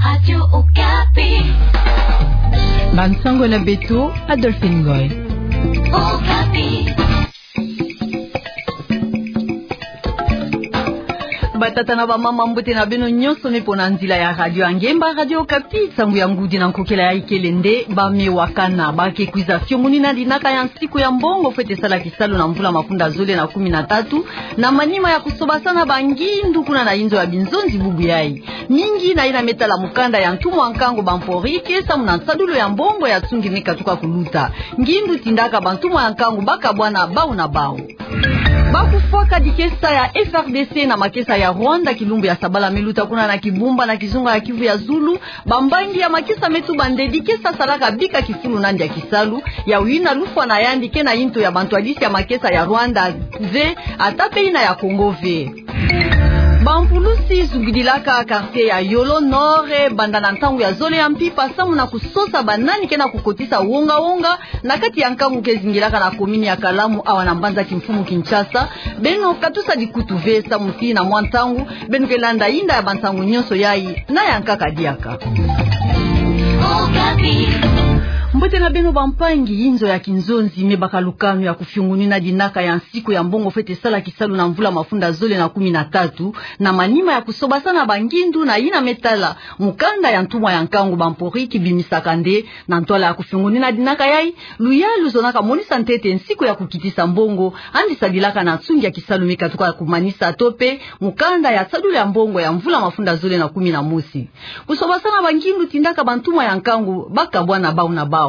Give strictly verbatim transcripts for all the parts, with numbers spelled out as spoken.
Radio Okapi. Bansango na beto, Adolphine Ngoy. Okapi. Batata na bamama, mbote na beno nyonso me pona nzila ya radio ya ngemba, Radio Okapi. Nsangu ya ngudi na nkokela ya ikele nde Bamewakana. Ba ke kwiza fiongonina dinaka ya nsiku ya mbongo fwete sala kisalu na mvula mafunda zole na kumi na tatu, na manima ya kusobasana bangindu kuna na inzo ya binzonzi bubu yai. Mingi na yina me tala mukanda ya ntumwa ya nkangu Bamporiki samu na nsadulu ya mbongo ya tsungi me katuka kuluta. Ngindu tindaka bantumwa ya nkangu ba kabwana bau na bau. Ba kufwaka dikesa ya F R D C na makesa ya Rwanda kilumbu ya sabala me luta kuna na Kibumba na kizunga ya Kivu ya Zulu. Bambangi ya makesa me tuba nde dikesa salaka bika kifulu nandi ya kisalu, ya wina lufwa na yandi ke na yinto ya bantwadisi ya makesa ya Rwanda ve, ata pe yina ya Congo ve. Bampulusi zungidilaka quartier ya Yolo Nord banda na ntangu ya zole ya mpimpa samu na kusosa banani ke na kukotisa wonga-wonga na kati ya nkangu ke zingilaka na commune ya Kalamu awa na mbanza kimfumu Kinshasa. Beno katusa dikutu ve samu ti na mwa ntangu beno ke landa yinda ya bansangu nyonso yai na ya nkaka diaka. Mbote na beno bampangi, inzo ya kinzonzi me baka lukanu ya kufiongonina dinaka ya nsiku ya mbongo fwete sala kisalu na mvula mafunda zole na kumi na tatu, na manima ya kusobasana bangindu na yina me tala mukanda ya ntumwa ya nkangu Bamporiki bimisaka nde na ntwala ya kufiongonina dinaka yai, luyalu zonaka monisa ntete nsiku ya kukitisa mbongo andi sadilaka na tsungi ya kisalu me katuka kumanisa to pe mukanda ya nsadulu ya mbongo ya mvula mafunda zole na kumi na mosi. Kusobasana bangindu tindaka bantumwa ya nkangu ba kabwana bau na bau.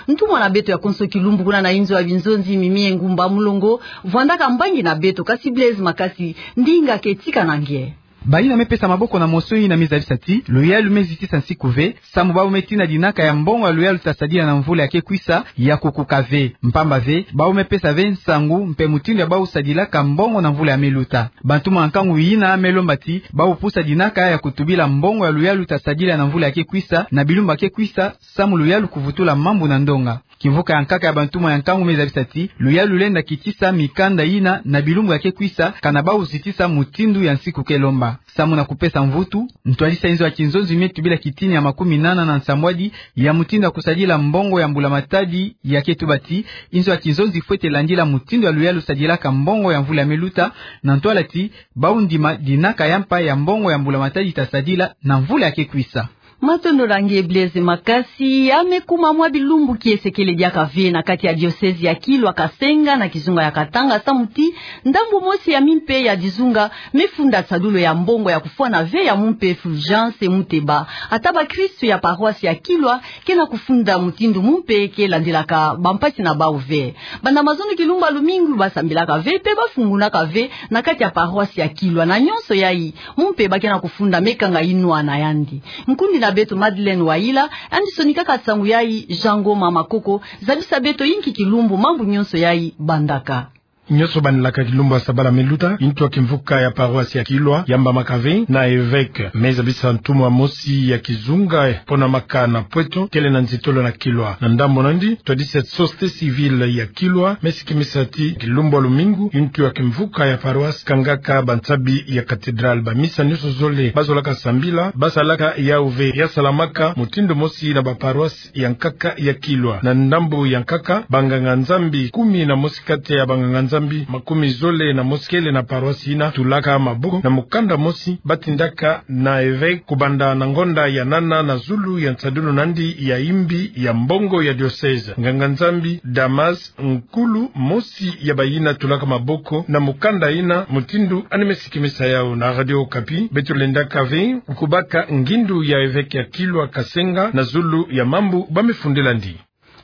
Ntumwa na beto ya konso kilumbu kuna na inzo ya binzonzi, Mimi Ngumba Mulongo, vwandaka mbangi na beto, kasi Blaise Makasi, ndinga ke tika na nge. Bayina me pesa maboko na mosi yina me zabisa ti luyalu me zitisa nsiku ve, samu bau me tina dinaka ya mbongo ya luyalu ta sadila na mvula ya ke kwisa ya kukuka ve. Mpamba ve, bau me pesa ve nsangu mpe mutindu ya bau sadilaka mbongo na mvula ya me luta. Bantumwa ya nkangu yina me lomba ti bau pusa dinaka ya kutubila mbongo ya luyalu ta sadila na mvula ya ke kwisa na bilumbu ya ke kwisa, samu luyalu kuvutula mambu na ndonga. Kimvuka ya nkaka ya bantumwa ya nkangu me zabisa ti luyalu lenda kitisa mikanda yina na bilumbu ya ke kwisa, kana bau zitisa mutindu ya nsiku ke lomba. Samu na kupesa mvutu, ntwadisi ya inzo ya kinzonzi me tubila kitini ya makumi nana na nsambwadi ya mutindu ya kusadila mbongo ya mbula-matadi ya ke tuba ti inzo ya kinzonzi fwete landila mutindu ya luyalu sadilaka mbongo ya mvula ya me luta, na ntwala ti bau ndima dinaka ya mpa ya mbongo ya mbula-matadi ta sadila na mvula ya ke kwisa. Matondo na nge Blaise Makasi. Ya me kuma mwa bilumbu kiese kele diaka ve na kati ya diocèse ya Kilwa Kasenga na kizunga ya Katanga, samu ti ndambu mosi ya mimpe ya dizunga me funda nsadulu ya mbongo ya kufwana ve ya mumpe Fulgence Muteba. Ata bakristu ya paroisse ya Kilwa ke na kufunda mutindu mumpe ke landilaka bampasi na bau ve. Banda mazono kilumbu ya lumingu ba sambilaka ve mpe ba fungunaka ve na kati ya paroisse ya Kilwa, na nyonso yai mumpe ba ke na kufunda me kanga yinwa na yandi. Nkundi na beto Madeleine Wayila andi sonikaka nsangu yai. Jean Ngoma Makoko, zabisa beto yinki kilumbu mambu nyonso yai bandaka. Nyonso bandilaka kilumbu ya sabala me luta, intu ya kimvuka ya paroisse ya Kilwa yambamaka ve na évêque me zabisa ntumwa mosi ya kizunga ponamaka na Pweto, kele na nzitolo na Kilwa. Na ndambu nandi, ntwadisi ya société civile ya Kilwa me sikimisa ti kilumbu ya lumingu, intu ya kimvuka ya paroisse kangaka bansabi ya cathédrale. Bamisa nyonso zole ba zolaka sambila ba salaka yau ve, ya salamaka mutindu mosi na baparoisse ya nkaka ya Kilwa. Na ndambu ya nkaka, banganga-Nzambi kumi na mosi kati ya banganga-Nzambi makumi zole na mosi kele na paroisse yina tulaka maboko na mukanda mosi ba tindaka na évêque kubanda na ngonda ya nana na zulu ya nsadulu nandi ya yimbi ya mbongo ya diocèse. Nganga-Nzambi Damas, nkulu mosi ya bayina tulaka maboko na mukanda yina, mutindu andi me sikimisa yau na Radio Okapi, beto lendaka ve kubaka ngindu ya évêque ya Kilwa Kasenga na zulu ya mambu ba me fundila ndi.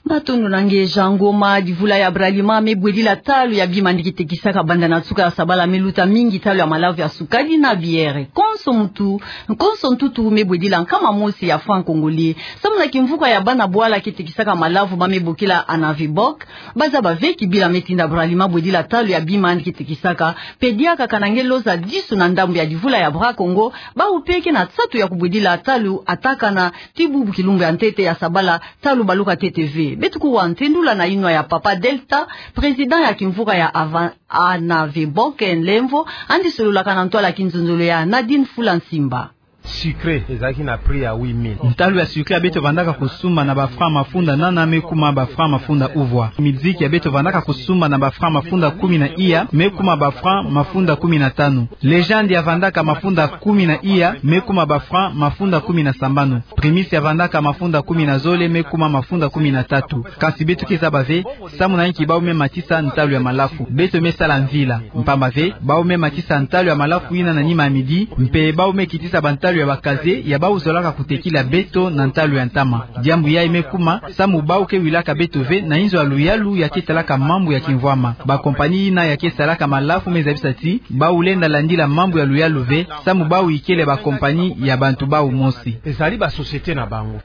Matondo na nge Jean Ngoma. Divula ya Bralima me bwedila talu ya bima andi ke tekisaka banda na nsuka ya sabala me luta mingi talu ya malavu ya sukali na bière. Konso mutu, konso ntutu me bwedila nkama mosi ya franc congolais. Samu na kimvuka ya bana bwala ke tekisaka malavu ba me bokila Anaveboc, ba zaba ve kibila me tinda Bralima bwedila talu ya bima andi ke tekisaka, mpe diaka kana nge loza disu na ndambu ya divula ya Bra Congo, bau mpe ke na nsatu ya kubwedila talu atakana ti bubu kilumbu ya ntete ya sabala talu baluka ntete ve. Beto kuwa ntendula na yinwa ya Papa Delta, président ya kimvuka ya Ava-, Anaveboc, nlemvo andi sololaka na ntwala ya kinzonzolo ya Nadine Fula Nsimba. Sucre ezalaki na prix ya huit mille. Ntalu ya sucre ya beto vandaka kosumba na ba francs mafunda nana me kuma ba francs mafunda uvwa. Miziki ya beto vandaka kosumba na ba francs mafunda kumi na iya me kuma ba francs mafunda kumi na tanu. Legende ya vandaka mafunda kumi na iya me kuma ba francs mafunda kumi na sambanu. Primus ya vandaka mafunda kumi na zole me kuma mafunda kumi na tatu. Kasi beto ke zaba ve, samu na inki bau me matisa ntalu ya malafu. Beto me sala mvila. Mpamba ve, bau me matisa ntalu ya malafu yina na nima ya midi, mpe bau me kitisa bantalu ya bakaze ya bau zolaka kotekila beto na ntalu ya ntama. Diambu yayi me kuma samu bau ke wilaka beto ve na inzo ya luyalu ya ke talaka mambu ya kimvwama. Ba compagnie yina ya ke salaka malafu me zabisa ti bau lenda landila mambu ya luyalu ve, samu bau ikele ba compagnie ya bantu bau mosi. Ezali ba société na bango.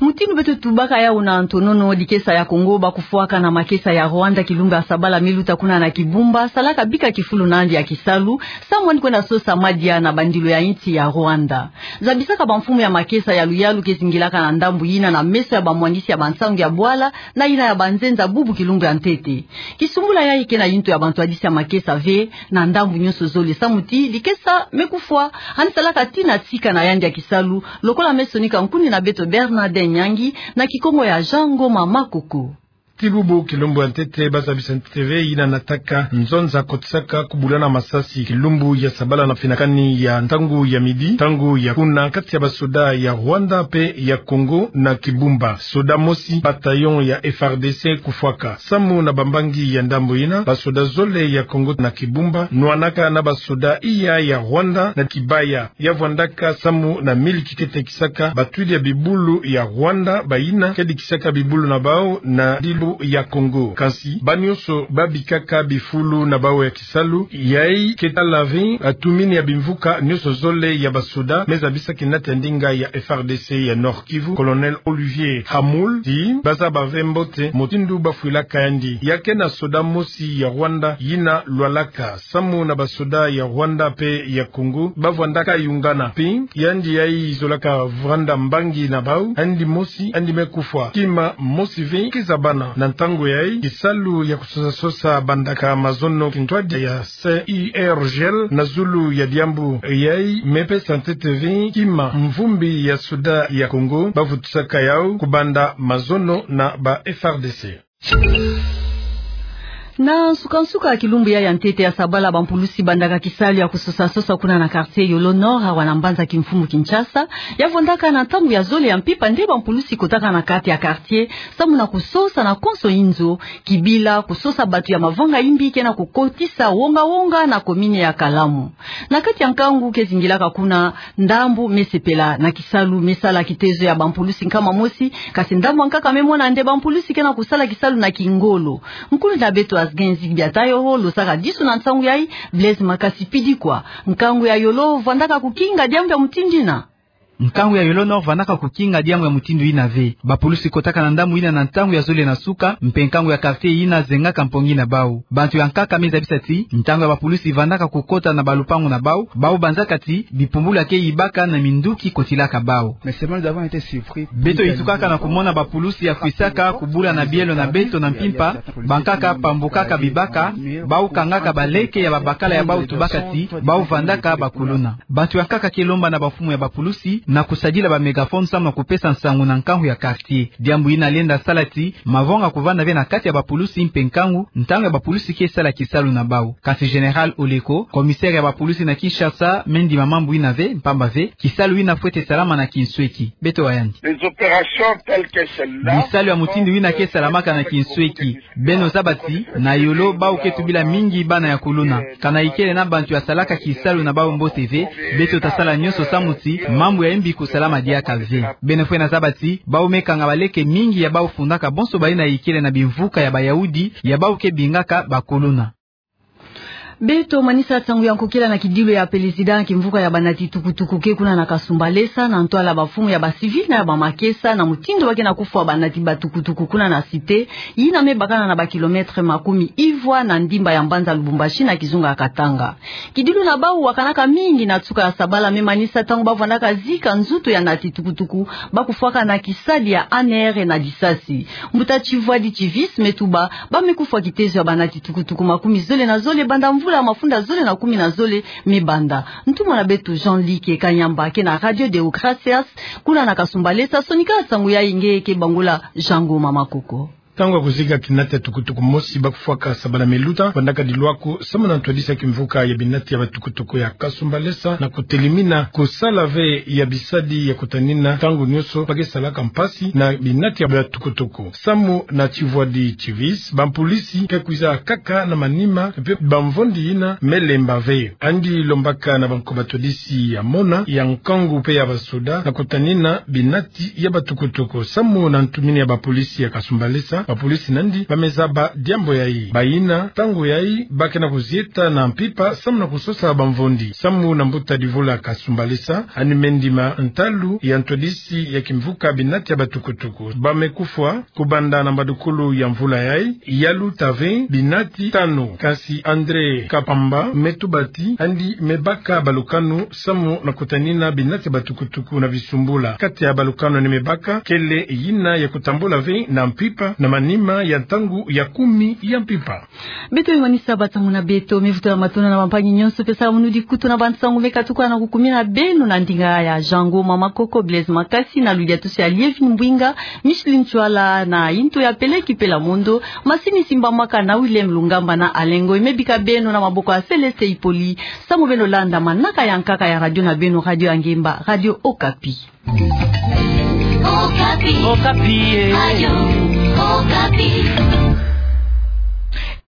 Mutindu beto tubaka yawu na ntonono, dikesa ya Congo ba kufwaka na makesa ya Rwanda kilumbu ya sabala me luta kuna na Kibumba, salaka bika kifulu na yandi ya kisalu, samu yandi kwenda sosa madia na bandilu ya insi ya Rwanda. Zabisaka bamfumu ya makesa ya luyalu ke zingilaka na ndambu yina na meso ya bamwangisi ya bansangu ya bwala na yina ya banzenza bubu kilumbu ya ntete. Kisumbula yayi ke na yintu ya bantwadisi ya makesa ve na ndambu nyonso zole, samu ti dikesa me kufwa, yandi salaka tii na sika na yandi ya kisalu, lokola me sonika nkundi na beto Bernard Nyangi na kikongo ya Jean Ngoma Makoko. Tii bubu kilumbu ya ntete ba zabisa ntete ve yina nataka nzonza kotisaka kubulana masasi kilumbu ya sabala na finakani ya ntangu ya midi, ntangu ya kuna kati ya basoda ya Rwanda mpe ya Congo na Kibumba. Soda mosi bataillon ya F R D C kufwaka. Samu na bambangi ya ndambu yina, basoda zole ya Congo na Kibumba nwanaka na basoda iya ya Rwanda na kibaya ya vwandaka samu na miliki ke tekisaka batwidi ya bibulu ya Rwanda, bayina ke dikisaka bibulu na bau na dilu ya Congo. Kansi bau nyonso ba bikaka bifulu na bau ya kisalu. Yayi ke tala ve tumini ya bimvuka nyonso zole ya basoda me zabisa kinate ya ndinga ya F R D C ya Nord-Kivu, Colonel Olivier Hamoul, ti ba zaba ve mbote mutindu ba fwilaka yandi. Ya ke na soda mosi ya Rwanda yina lwalaka. Samu na basoda ya Rwanda mpe ya Congo ba vwandaka yungana. Mpe yandi yayi zolaka vwanda mbangi na bau, yandi mosi yandi me kufwa. Kima mosi ve ke zabana na ntangu yayi, kisalu ya kusosa-sosa bandaka mazono kintwadi ya C I R G L na zulu ya diambu yayi me pesa ntete ve kima mvumbi ya soda ya Congo ba vutusaka yau kubanda mazono na ba F R D C. Na nsuka-nsuka ya kilumbu ya, ya ntete ya sabala, bampulusi bandaka kisalu ya kusosa-sosa kuna na quartier Yolo Nord, awa na mbanza kimfumu Kinshasa, ya vwandaka na ntangu ya zole ya mpimpa nde bampulusi kotaka na kati ya quartier, samu na kusosa na konso inzo, kibila kusosa bantu ya mavanga imbi ke na kukotisa wonga-wonga na commune ya Kalamu. Na kati ya nkangu ke zingilaka kuna, ndambu me sepela na kisalu me sala kitezo ya bampulusi nkama mosi, kasi ndambu ya nkaka me mona nde bampulusi ke na kusala kisalu na kingolo. Nkundi na beto Asgen Zigbia Tayo ho losaka disu na nsangu yayi, Blaise Makasi Pidikwa. Nkangu ya Yolo vwandaka kukinga diambu ya mutindu yina? Nkangu ya Yolo Nord vwandaka kukinga diambu ya mutindu yina ve. Bapulusi kotaka na ndambu yina na ntangu ya zole na suka, mpe nkangu ya quartier yina zengaka mpongi na bau. Bantu ya nkaka me zabisa ti ntangu ya bapulusi vandaka kukota na balupangu na bau, bau banzaka ti bipumbulu ya ke yibaka na minduki kotilaka bau. Beto yitukaka na kumona bapulusi ya kwisaka kubula na bielo na beto na mpimpa, bankaka pambukaka bibaka, bau kangaka baleke ya babakala ya bau tubaka ti bau vandaka bakuluna. Bantu ya nkaka ke lomba na bamfumu ya bapulusi na kusadila ba mégaphone samu na kupesa nsangu na nkangu ya quartier. Diambu yina lenda sala ti mavanga kuvanda ve na kati ya bapulusi mpe nkangu, ntangu ya bapulusi ke sala kisalu na bau. Kasi Général Oleko, commissaire ya bapulusi na Kinshasa, me ndima mambu yina ve, mpamba ve kisalu yina fwete salama na kinsweki. Beto wa yandi. Bisalu ya mutindu yina ke salamaka na kinsweki. Beno zaba ti na Yolo bau ke tubila mingi bana ya kuluna. Kana ikele na bantu ya salaka kisalu na bau mbote ve, beto ta sala nyonso samu ti mambu ya imbi kusalama diaka ve. Beno fwena zaba ti bau me kanga baleke mingi ya bau fundaka bonso bayina ikele na bimvuka ya Bayahudi ya bau ke bingaka bakuluna. Beto manisa nsangu ya nkokila na kidilu ya pelezida kimvuka ya banati tukutuku ke kuna na Kasumbalesa, na ntwala bamfumu ya bacivil na ya bamakesa, na mutindu ba ke na kufwa banati batukutuku kuna na Cité, yina me bakana na bakilomètre makumi ivwa na ndimba ya mbanza Lubumbashi na kizunga ya Katanga. Kidilu na bau wakanaka mingi na nsuka ya sabala, me manisa ntangu ba vandaka zika nzutu ya nati tukutuku ba kufwaka na kisadi ya A N R na disasi. Mbuta Tshivwadi Tshivise me tuba ba me kufwa kitezo ya banati tukutuku makumi zole na zole banda mvula ya mafunda zole na kumi na zole mibanda. Ntumwa na beto Jean-Luc Kanyamba ke na Radio Deo Gracias, kuna na Kasumbalesa, sonika nsangu yayi nge ke bangula Jean Ngoma Makoko. Ntangu ya kuzika binati ya tukutuku mosi bakufwaka sabala miluta, bandaka dilwako samu na ntwadisi ya kimvuka ya binati ya batukutuku ya Kasumbalesa, na kutelimina kusala ve ya bisadi ya kutanina ntangu nyonso ba ke salaka mpasi na binati ya batukutuku. Samu na Tivwadi Tivis, bampolisi ke kwiza kaka na manima mpe bamvondi yina me lemba ve. Yandi lombaka na banko batwadisi ya mona, ya nkangu mpe ya basoda na kutanina binati ya batukutuku. Samu na ntumini ya bapolisi ya Kasumbalesa, bapolisi na yandi ba me zaba diambu yayi. Bayina, ntangu yayi, ba ke na kuzieta na mpimpa samu na kusosa bamvondi. Samu na mbuta Divula Kasumbalesa, yandi me ndima ntalu ya ntwadisi ya kimvuka binati ya batukutuku. Ba me kufwa kubanda na mbadukulu ya mvula yayi, ya luta ve binati tanu. Kansi André Kapamba me tuba ti yandi me baka balukanu samu na kutanina binati ya batukutuku na bisumbula. Kati ya balukanu yandi me baka, kele yina ya kutambula ve na mpimpa, na manima ya ntangu ya kumi ya mpimpa. Beto me manisa bansangu na beto, me vutula matondo na bampangi nyonso mpe samunudi kutu na bansangu me katuka na kukumina beno na ndinga ya Jean Ngoma Makoko, Blaise Makasi, na ludiatusi ya Lievine Mbwinga, Micheline Ntsoala, na yinto ya Peleki Pela Mondo, masini simbamaka na Willem Lungamba na Alengo, me bika beno na maboko ya Céleste Ipoli, samu beno landa manaka ya nkaka ya radio na beno, Radio ya Ngemba, Radio Okapi. Okapi. Okapi, eh. Radio Okapi.